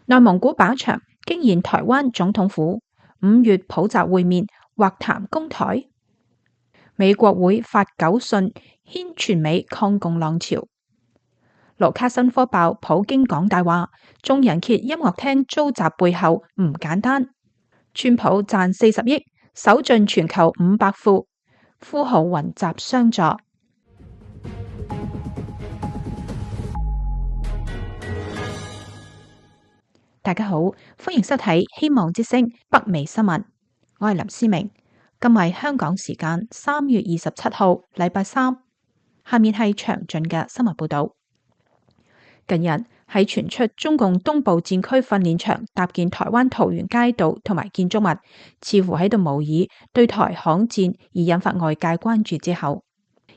內蒙古靶場驚現台灣總統府，5月普習會面或談攻台。美國會發狗信掀全美抗共浪潮。盧卡申科爆普京講大話，眾人揭音樂廳遭襲背後唔簡單。川普賺40億，手進全球500富，富豪雲集相助。大家好，歡迎收睇希望之聲北美新聞，我係林思明。今日香港時間3月27號，禮拜三。下面係詳盡嘅新聞報道。近日喺傳出中共東部戰區訓練場搭建台灣桃園街道同埋建築物，似乎喺度模擬對台巷戰而引發外界關注之後，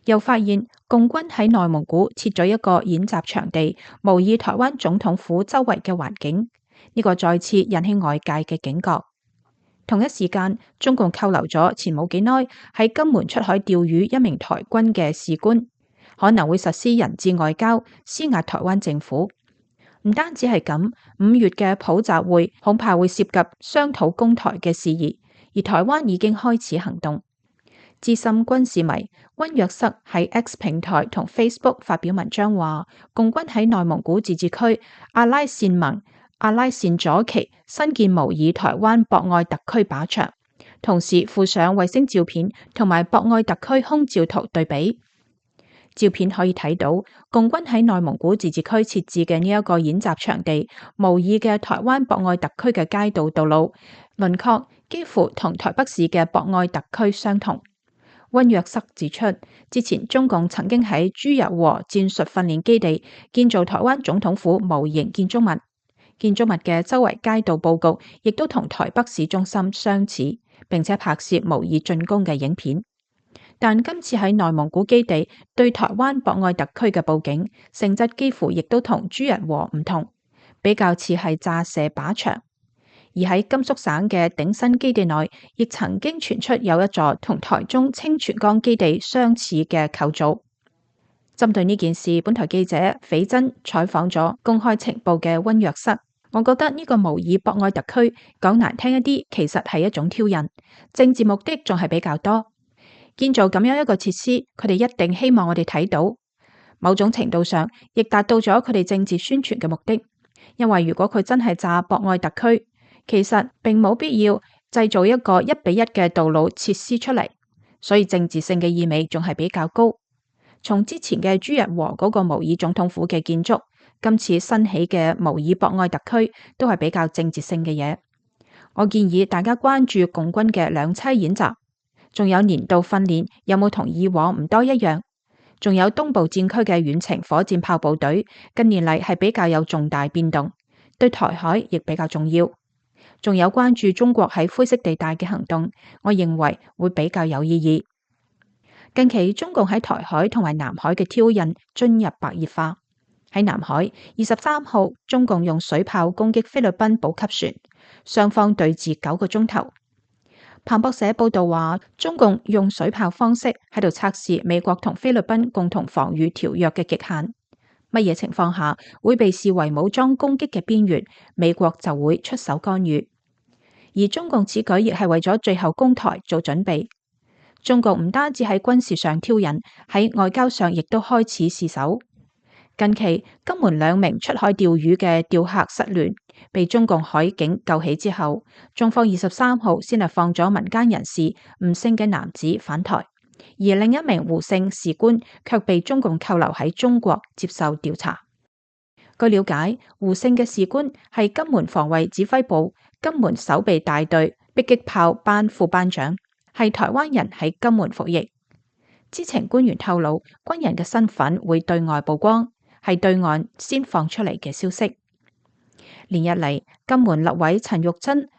又發現共軍喺內蒙古設咗一個演習場地，模擬台灣總統府周圍嘅環境，呢個再次引起外界嘅警覺。同一時間，中共扣留咗前冇幾耐喺金門出海釣魚一名台軍嘅士官，可能會實施人質外交，施壓台灣政府。唔單止係咁，5月嘅普習會恐怕會涉及商討攻台嘅事宜，而台灣已經開始行動。資深軍事迷溫約瑟喺 X 平台同 Facebook 發表文章話，共軍喺內蒙古自治區阿拉善盟、阿拉善左旗新建模擬台灣博愛特區靶場，同時附上衛星照片同埋博愛特區空照圖對比。照片可以睇到，共軍喺內蒙古自治區設置嘅呢一個演習場地，模擬嘅台灣博愛特區嘅街道道路輪廓幾乎同台北市嘅博愛特區相同。溫約瑟指出，之前中共曾經喺朱日和戰術訓練基地建造台灣總統府模型建築物，建築物嘅周圍街道佈局亦都同台北市中心相似，並且拍攝模擬進攻嘅影片。但今次喺內蒙古基地對台灣博愛特區嘅佈景性質幾乎亦都同朱日和唔同，比較似係炸射靶場。而喺甘肅省嘅鼎新基地內，亦曾經傳出有一座同台中清泉崗基地相似嘅構造。針對呢件事，本台記者斐真採訪咗公開情報嘅溫約瑟。我覺得呢個模擬博愛特區講難聽一啲，其實係一種挑釁，政治目的仲係比較多。建造咁樣一個設施，佢哋一定希望我哋睇到，某種程度上亦達到咗佢哋政治宣傳嘅目的。因為如果佢真係炸博愛特區，其實並冇必要製造一個1:1嘅道路設施出嚟，所以政治性嘅意味仲係比較高。從之前嘅朱日和嗰個模擬總統府嘅建築，今次新起嘅模擬博愛特區都係比較政治性嘅嘢。我建議大家關注共軍嘅兩棲演習。仲有年度訓練有冇同以往唔多一樣？仲有東部戰區嘅遠程火箭炮部隊，近年嚟係比較有重大變動，對台海亦比較重要。仲有關注中國喺灰色地帶嘅行動，我認為會比較有意義。近期中共喺台海同埋南海嘅挑釁進入白熱化。喺南海23號，中共用水炮攻擊菲律賓補給船，雙方對峙9個鐘頭。彭博社報道話，中共用水炮方式喺度測試美國同菲律賓共同防禦條約嘅極限，乜嘢情況下會被視為武裝攻擊嘅邊緣，美國就會出手干預。而中共此舉亦係為咗最後攻台做準備。中共唔單止喺軍事上挑釁，喺外交上亦都開始試手。近期金門2名出海釣魚嘅釣客失聯，被中共海警救起之後，中方23號先係放咗民間人士吳姓嘅男子返台，而另一名胡姓士官卻被中共扣留喺中國接受調查。據了解，胡姓嘅士官係金門防衛指揮部金門守備大隊迫擊炮班副班長，係台灣人喺金門服役。知情官員透露，軍人嘅身份會對外曝光，係對岸先放出嚟嘅消息。連日嚟，金門立委陳玉珍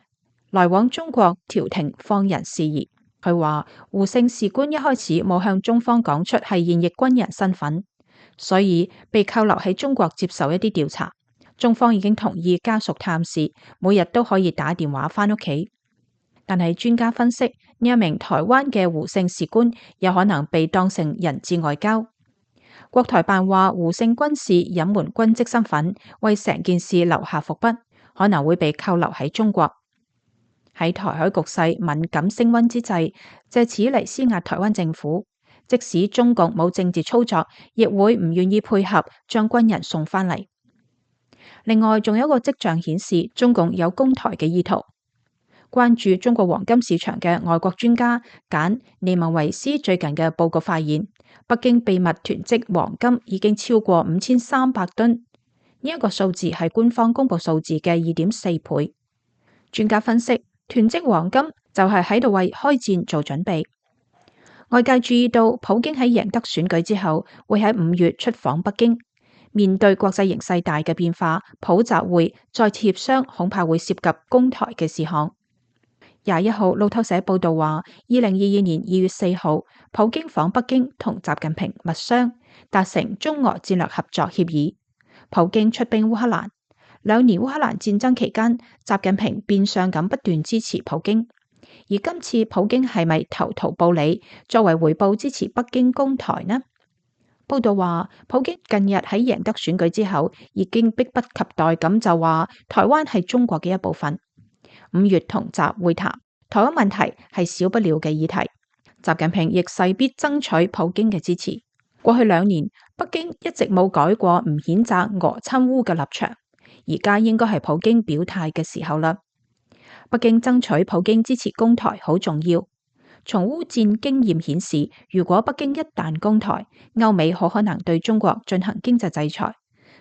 來往中國調停放人事宜，佢話胡姓士官一開始冇向中方講出係現役軍人身份，所以被扣留喺中國接受一啲調查。中方已經同意家屬探視，每日都可以打電話返屋企。但係專家分析，呢一名台灣嘅胡姓士官有可能被當成人質外交。國台辦話胡姓軍士隱瞞軍職身份，為成件事留下伏筆，可能會被扣留喺中國。喺台海局勢敏感升溫之際，借此嚟施壓台灣政府，即使中共冇政治操作，亦會唔願意配合將軍人送返嚟。另外，仲有一個跡象顯示中共有攻台嘅意圖。關注中國黃金市場嘅外國專家簡尼文維斯最近嘅報告發現，北京秘密囤積黃金已經超過5300噸，呢一個數字係官方公布數字嘅2.4倍。專家分析，囤積黃金就係喺度為開戰做準備。外界注意到，普京喺贏得選舉之後，會喺5月出訪北京。面對國際形勢大嘅變化，普習會再次協商，恐怕會涉及攻台嘅事項。21號路透社報道話，2022年2月4號，普京訪北京同習近平密商，達成中俄戰略合作協議。普京出兵烏克蘭，2年烏克蘭戰爭期間，習近平變相咁不斷支持普京。而今次普京係咪投桃報李，作為回報支持北京攻台呢？報道話，普京近日喺贏得選舉之後，已經迫不及待咁就話台灣係中國嘅一部分。5月同習會談，台灣問題係少不了嘅議題。習近平亦勢必爭取普京嘅支持。過去2年，北京一直冇改過唔譴責俄侵烏嘅立場，而家應該係普京表態嘅時候啦。北京爭取普京支持攻台好重要。從烏戰經驗顯示，如果北京一旦攻台，歐美好可能對中國進行經濟制裁，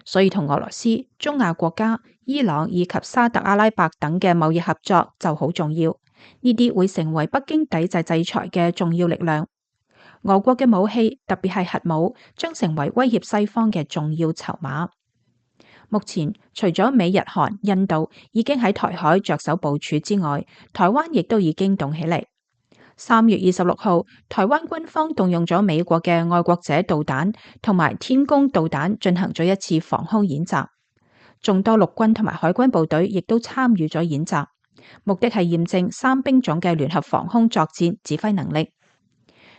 所以同俄羅斯、中亞國家、伊朗以及沙特阿拉伯等嘅貿易合作就好重要。呢啲會成為北京抵制制裁嘅重要力量。俄國嘅武器，特別係核武，將成為威脅西方嘅重要籌碼。目前，除咗美日韓、印度已經喺台海着手部署之外，台灣亦都已經動起嚟。3月26號，台灣軍方動用咗美國嘅愛國者導彈同埋天宮導彈進行咗一次防空演習，眾多陸軍同埋海軍部隊亦都參與咗演習，目的係驗證3兵種嘅聯合防空作戰指揮能力。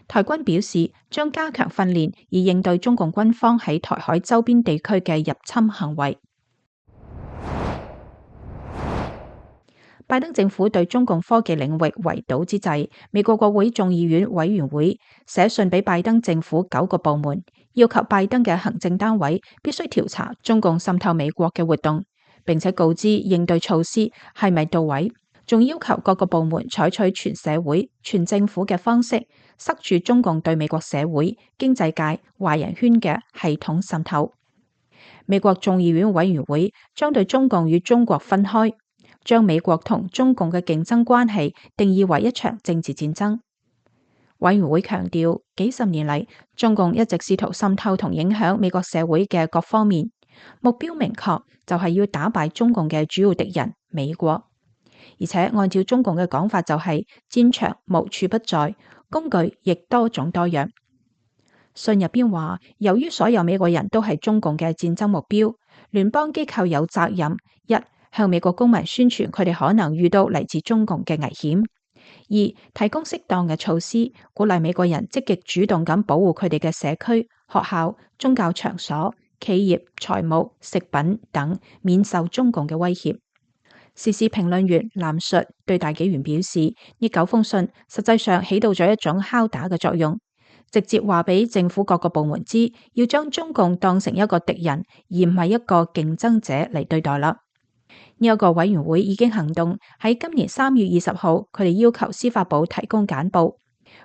台軍表示將加強訓練，以應對中共軍方喺台海周邊地區嘅入侵行為。拜登政府對中共科技領域圍堵之際，美國國會眾議院委員會寫信俾拜登政府9個部門，要求拜登嘅行政單位必須調查中共滲透美國嘅活動，並且告知應對措施係咪到位，仲要求各個部門採取全社會、全政府嘅方式，塞住中共對美國社會、經濟界、華人圈嘅系統滲透。美國眾議院委員會將對中共與中國分開，將美國同中共嘅競爭關係定義為一場政治戰爭。委員會強調，幾十年嚟，中共一直試圖滲透同影響美國社會嘅各方面，目標明確，就係要打敗中共嘅主要敵人美國。而且按照中共嘅講法，就係戰場無處不在，工具亦多種多樣。信入邊話，由於所有美國人都係中共嘅戰爭目標，聯邦機構有責任：一、向美國公民宣傳佢哋可能遇到嚟自中共嘅危險；二、提供適當嘅措施，鼓勵美國人積極主動咁保護佢哋嘅社區、學校、宗教場所、企業、財務、食品等，免受中共嘅威脅。時事評論員藍述對大紀元表示，呢9封信實際上起到咗一種敲打嘅作用，直接話俾政府各個部門知，要將中共當成一個敵人，而唔係一個競爭者嚟對待啦。呢一個委員會已經行動，喺今年3月20號，佢哋要求司法部提供簡報，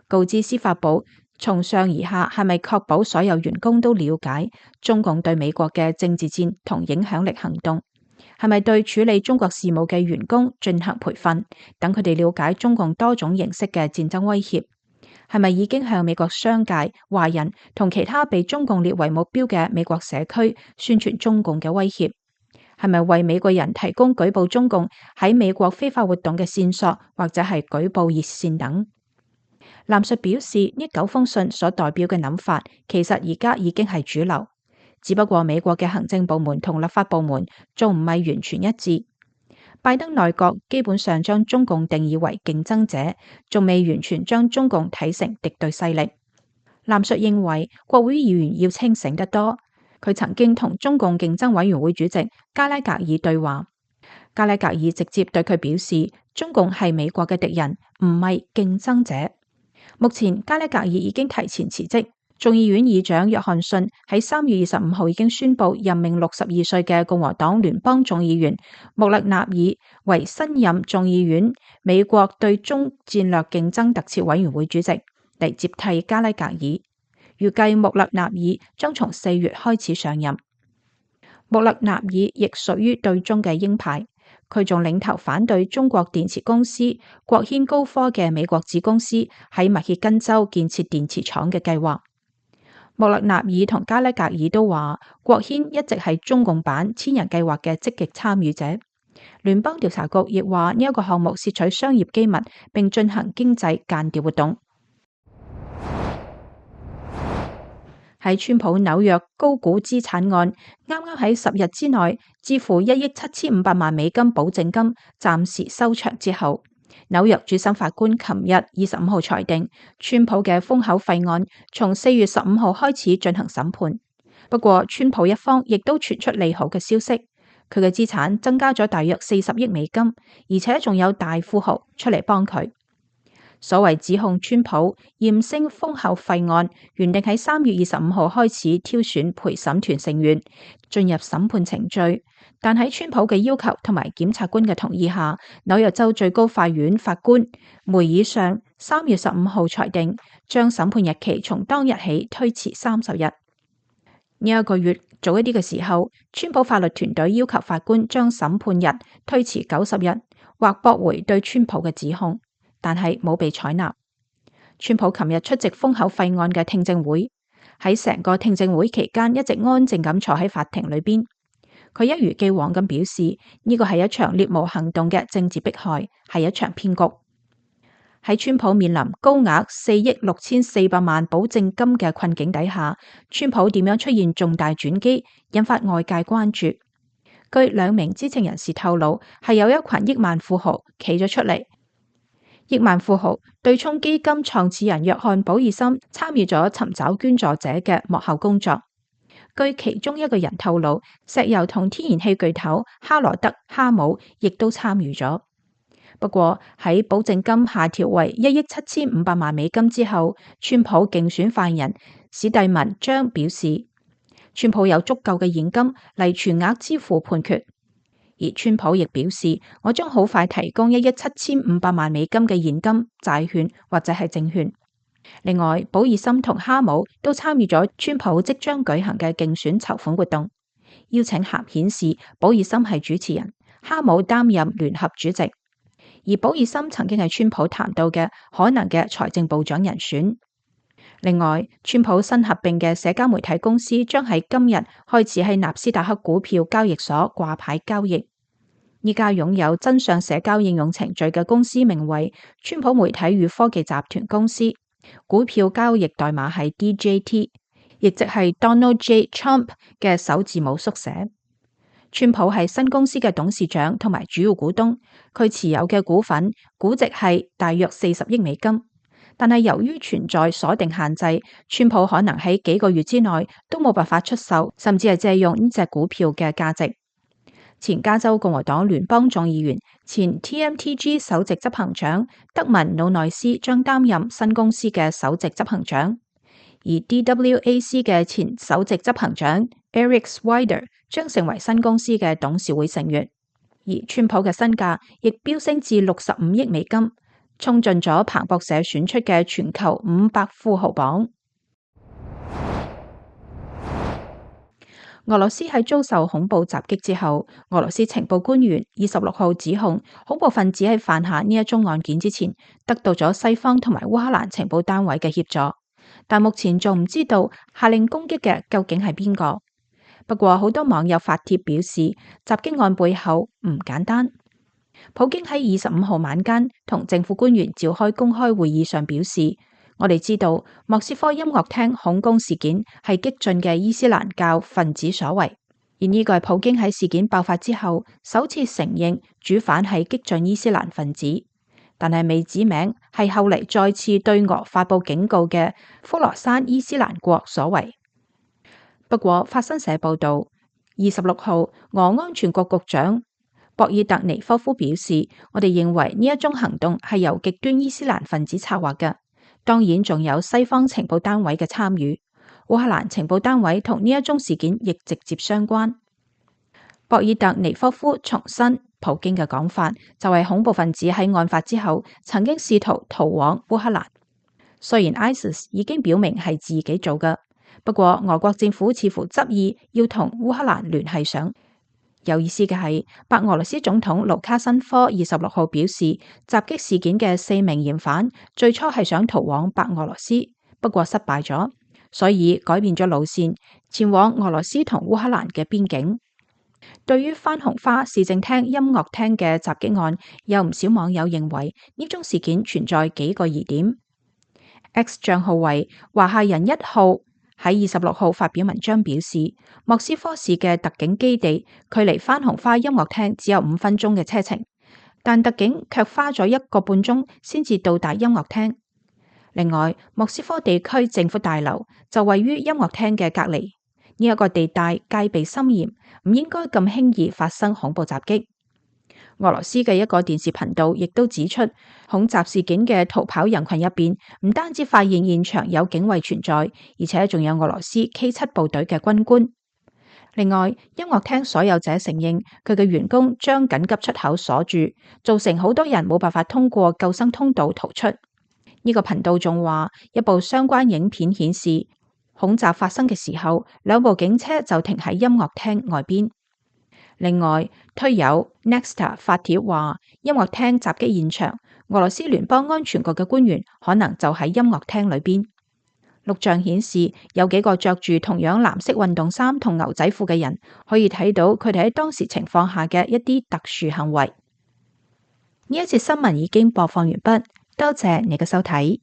告知司法部從上而下係咪確保所有員工都了解中共對美國嘅政治戰同影響力行動，係咪對處理中國事務嘅員工進行培訓，等佢哋了解中共多種形式嘅戰爭威脅，係咪已經向美國商界、華人同其他被中共列為目標嘅美國社區宣傳中共嘅威脅，係咪為美國人提供舉報中共喺美國非法活動嘅線索，或者係舉報熱線等。藍述表示，呢9封信所代表嘅諗法，其實而家已經係主流，只不過美國嘅行政部門同立法部門仲唔係完全一致。拜登內閣基本上將中共定義為競爭者，仲未完全將中共睇成敵對勢力。藍述認為，國會議員要清醒得多。佢曾經同中共競爭委員會主席加拉格爾對話，加拉格爾直接對佢表示，中共係美國嘅敵人，唔係競爭者。目前加拉格爾已經提前辭職。眾議院議長約翰遜喺3月25號已經宣布任命62歲嘅共和黨聯邦眾議員穆勒納爾為新任眾議院美國對中戰略競爭特設委員會主席，嚟接替加拉格爾。預計穆勒納爾將從4月開始上任。穆勒納爾亦屬於對中嘅鷹派，佢仲領頭反對中國電池公司國軒高科嘅美國子公司喺密歇根州建設電池廠嘅計劃。穆勒納爾同加拉格爾都話，國軒一直係中共版千人計劃嘅積極參與者。聯邦調查局亦話呢一個項目竊取商業機密，並進行經濟間諜活動。喺川普紐約高估資產案，啱啱喺10日之內支付1億7500萬美金保證金，暫時收場之後，紐約主審法官琴日25號裁定，川普嘅封口費案從4月15號開始進行審判。不過，川普一方亦都傳出利好嘅消息，佢嘅資產增加咗大約40億美金，而且仲有大富豪出嚟幫佢。所謂指控川普驗升封口費案，原定喺3月25號開始挑選陪審團成員進入審判程序，但喺川普嘅要求同埋檢察官嘅同意下，紐約州最高法院法官梅爾尚3月15號裁定，將審判日期從當日起推遲30日。呢一個月早一啲嘅時候，川普法律團隊要求法官將審判日推遲90日，或駁回對川普嘅指控，但係冇被採納。川普琴日出席封口費案嘅聽證會，喺成個聽證會期間一直安靜咁坐喺法庭裏邊。佢一如既往咁表示，呢個係一場獵巫行動嘅政治迫害，係一場騙局。喺川普面臨高額4億6400萬保證金嘅困境底下，川普點樣出現重大轉機，引發外界關注。據2名知情人士透露，係有一群億萬富豪企咗出嚟。億萬富豪對沖基金創始人約翰保爾森參與咗尋找捐助者嘅幕後工作。據其中一個人透露，石油同天然氣巨頭哈羅德哈姆亦都參與咗。不過喺保證金下調為1億7500萬美金之後，川普競選發言人史蒂文張表示，川普有足夠嘅現金嚟全額支付判決。而川普亦表示，我將好快提供1億7500萬美金嘅現金、債券或者係證券。另外，保爾森同哈姆都參與咗川普即將舉行嘅競選籌款活動。邀請函顯示，保爾森係主持人，哈姆擔任聯合主席。而保爾森曾經係川普談到嘅可能嘅財政部長人選。另外，川普新合併嘅社交媒體公司將喺今日開始喺納斯達克股票交易所掛牌交易。依家擁有真相社交應用程序嘅公司名為川普媒體與科技集團公司，股票交易代碼係 DJT， 亦即係 Donald J. Trump 嘅首字母縮寫。川普係新公司嘅董事長同埋主要股東，佢持有嘅股份估值係大約40億美金。但係由於存在鎖定限制，川普可能喺幾個月之內都冇辦法出售，甚至係借用呢隻股票嘅價值。前加州共和黨聯邦眾議員、前 TMTG 首席執行長德文努內斯將擔任新公司嘅首席執行長，而 DWAC 嘅前首席執行長 Eric Swider 將成為新公司嘅董事會成員。而川普嘅身價亦飆升至65億美金，衝進咗彭博社選出嘅全球500富豪榜。俄羅斯喺遭受恐怖襲擊之後，俄羅斯情報官員26號指控恐怖分子喺犯下呢一宗案件之前，得到咗西方同埋烏克蘭情報單位嘅協助，但目前仲唔知道下令攻擊嘅究竟係邊個。不過好多網友發帖表示，襲擊案背後唔簡單。普京喺25號晚間同政府官員召開公開會議上表示，我哋知道莫斯科音樂廳恐攻事件係激進嘅伊斯蘭教分子所為，而呢個係普京喺事件爆發之後首次承認主犯係激進伊斯蘭分子，但係未指名係後嚟再次對俄發布警告嘅科羅山伊斯蘭國所為。不過法新社報道，26號俄安全局局長博爾特尼科夫表示，我哋認為呢一宗行動係由極端伊斯蘭分子策劃嘅，當然仲有西方情報單位嘅參與。烏克蘭情報單位同呢一宗事件亦直接相關。博爾特尼科夫重申，普京嘅講法就係恐怖分子喺案發之後曾經試圖逃往烏克蘭。雖然 ISIS 已經表明係自己做嘅，不過俄國政府似乎執意要同烏克蘭聯繫上。有意思嘅係，白俄羅斯總統盧卡申科26號表示，襲擊事件嘅4名嫌犯最初係想逃往白俄羅斯，不過失敗咗，所以改變咗路線，前往俄羅斯同烏克蘭嘅邊境。對於番紅花市政廳音樂廳嘅襲擊案，有唔少網友認為呢宗事件存在幾個疑點。X 賬號為華夏人1號喺26號發表文章表示，莫斯科市嘅特警基地距離番紅花音樂廳只有5分鐘嘅車程，但特警卻花咗1個半鐘先至到達音樂廳。另外，莫斯科地區政府大樓就位於音樂廳嘅隔離，呢一個地帶戒備森嚴，唔應該咁輕易發生恐怖襲擊。俄羅斯嘅一個電視頻道亦都指出，恐襲事件嘅逃跑人群入邊，唔單止發現現場有警衛存在，而且仲有俄羅斯 K7 部隊嘅軍官。另外，音樂廳所有者承認，佢嘅員工將緊急出口鎖住，造成好多人冇辦法通過救生通道逃出。呢個頻道仲話，一部相關影片顯示，恐襲發生嘅時候，2部警車就停喺音樂廳外邊。另外，推友 Nexta 發帖話，音樂廳襲擊現場，俄羅斯聯邦安全局嘅官員可能就喺音樂廳裏邊。錄像顯示，有幾個着住同樣藍色運動衫同牛仔褲嘅人，可以睇到佢哋喺當時情況下嘅一啲特殊行為。呢一節新聞已經播放完畢，多謝你嘅收睇。